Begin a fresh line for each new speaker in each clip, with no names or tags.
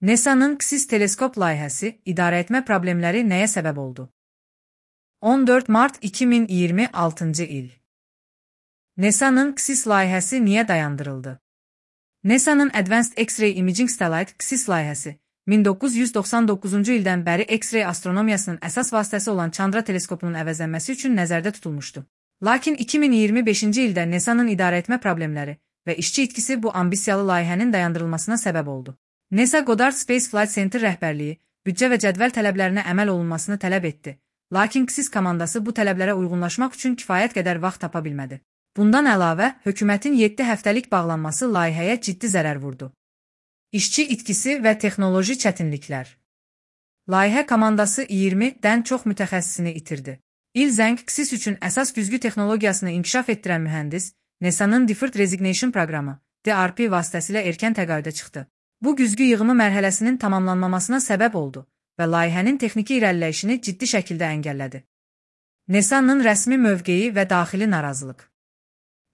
NASA'nın KSIS teleskop layihəsi idarəetmə problemləri nəyə səbəb oldu? 14 Mart 2026 il. NASA'nın KSIS layihəsi niyə dayandırıldı? NASA'nın Advanced X-ray Imaging Satellite KSIS layihəsi 1999-cu ildən bəri X-ray astronomiyasının əsas vasitəsi olan Chandra teleskopunun əvəzlənməsi üçün nəzərdə tutulmuşdu. Lakin 2025-ci ildə NASA'nın idarəetmə problemləri və işçi itkisi bu ambisiyalı layihənin dayandırılmasına səbəb oldu. NASA Goddard Space Flight Center rəhbərliyi büdcə və cədvəl tələblərinə əməl olunmasını tələb etdi. Lakin KSIS komandası bu tələblərə uyğunlaşmaq üçün kifayət qədər vaxt tapa bilmədi. Bundan əlavə, hökumətin 7 həftəlik bağlanması layihəyə ciddi zərər vurdu. İşçi itkisi və texnoloji çətinliklər. Layihə komandası 20-dən çox mütəxəssisini itirdi. İl Zheng KSIS üçün əsas güzgü texnologiyasını inkişaf etdirən mühəndis, NASA'nın Deferred Resignation proqramı, DRP vasitəsilə erkən təqaüdə çıxdı. Bu güzgü yığımı mərhələsinin tamamlanmamasına səbəb oldu və layihənin texniki irəliləyişini ciddi şəkildə əngəllədi. NASA'nın rəsmi mövqeyi və daxili narazılıq.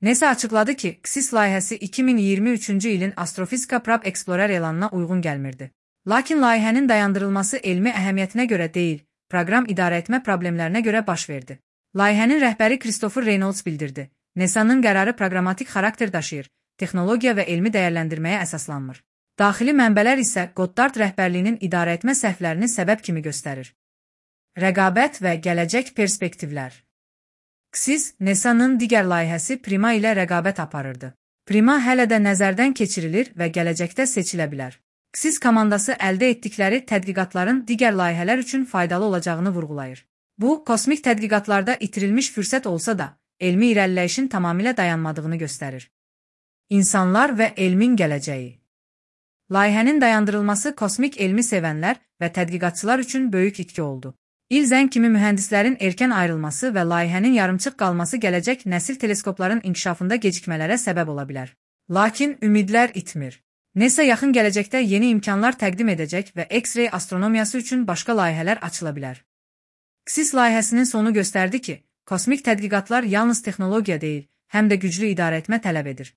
NASA açıqladı ki, KSIS layihəsi 2023-cü ilin Astrofizika Probe Explorer elanına uyğun gəlmirdi. Lakin layihənin dayandırılması elmi əhəmiyyətinə görə deyil, proqram idarəetmə problemlərinə görə baş verdi. Layihənin rəhbəri Christopher Reynolds bildirdi. NASA'nın qərarı proqramatik xarakter daşıyır, texnologiya və elmi dəyərləndirməyə əsaslanmır. Daxili mənbələr isə Goddard rəhbərliyinin idarəetmə səhvlərini səbəb kimi göstərir. Rəqabət və gələcək perspektivlər. KSIS, NASA'nın digər layihəsi Prima ilə rəqabət aparırdı. Prima hələ də nəzərdən keçirilir və gələcəkdə seçilə bilər. KSIS komandası əldə etdikləri tədqiqatların digər layihələr üçün faydalı olacağını vurğulayır. Bu, kosmik tədqiqatlarda itirilmiş fürsət olsa da, elmi irəliləyişin tamamilə dayanmadığını göstərir. İnsanlar və elmin gələcəyi. Layihənin dayandırılması kosmik elmi sevənlər və tədqiqatçılar üçün böyük itki oldu. İl Zheng kimi mühəndislərin erkən ayrılması və layihənin yarımçıq qalması gələcək nəsil teleskopların inkişafında gecikmələrə səbəb ola bilər. Lakin ümidlər itmir. NASA yaxın gələcəkdə yeni imkanlar təqdim edəcək və X-ray astronomiyası üçün başqa layihələr açıla bilər. KSIS layihəsinin sonu göstərdi ki, kosmik tədqiqatlar yalnız texnologiya deyil, həm də güclü idarəetmə tələb edir.